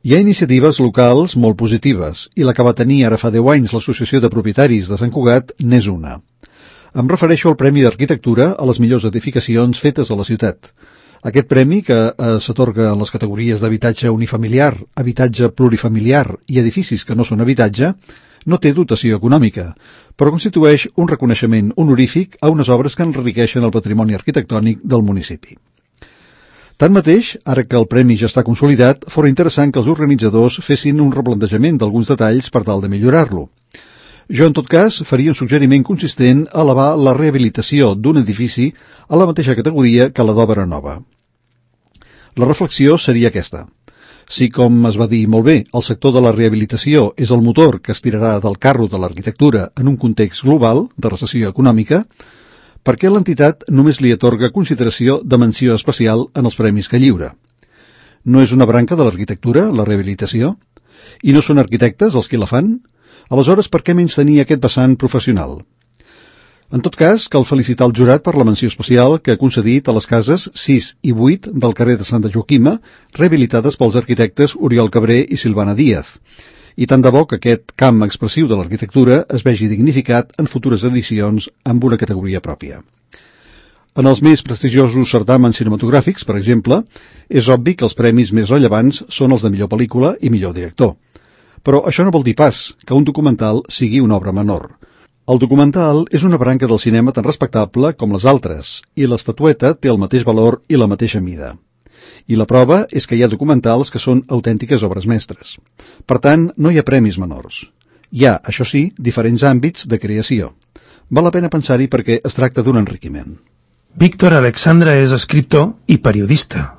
Hi ha iniciatives locals molt positives, i la que va tenir ara fa 10 anys l'Associació de Propietaris de Sant Cugat n'és una. Em refereixo al Premi d'Arquitectura a les millors edificacions fetes a la ciutat. Aquest premi, que s'atorga en les categories d'habitatge unifamiliar, habitatge plurifamiliar i edificis que no són habitatge, no té dotació econòmica, però constitueix un reconeixement honorífic a unes obres que enriqueixen el patrimoni arquitectònic del municipi. Tanmateix, ara que el premi ja està consolidat, fora interessant que els organitzadors fessin un replantejament d'alguns detalls per tal de millorar-lo. Jo, en tot cas, faria un suggeriment consistent a elevar la rehabilitació d'un edifici a la mateixa categoria que la d'obra nova. La reflexió seria aquesta. Si, com es va dir molt bé, el sector de la rehabilitació és el motor que estirarà del carro de l'arquitectura en un context global de recessió econòmica, per què l'entitat només li atorga consideració de menció especial en els premis que lliura? No és una branca de l'arquitectura, la rehabilitació? I no són arquitectes els qui la fan? Aleshores, per què menystenir aquest vessant professional? En tot cas, cal felicitar el jurat per la menció especial que ha concedit a les cases 6 i 8 del carrer de Santa Joaquima, rehabilitades pels arquitectes Oriol Cabré i Silvana Díaz. I tant de bo que aquest camp expressiu de l'arquitectura es vegi dignificat en futures edicions amb una categoria pròpia. En els més prestigiosos certàmens cinematogràfics, per exemple, és obvi que els premis més rellevants són els de millor pel·lícula i millor director. Però això no vol dir pas que un documental sigui una obra menor. El documental és una branca del cinema tan respectable com les altres, i l'estatueta té el mateix valor i la mateixa mida. I la prova és que hi ha documentals que són autèntiques obres mestres. Per tant, no hi ha premis menors. Hi ha, això sí, diferents àmbits de creació. Val la pena pensar-hi perquè es tracta d'un enriquiment. Víctor Alexandra és escriptor i periodista.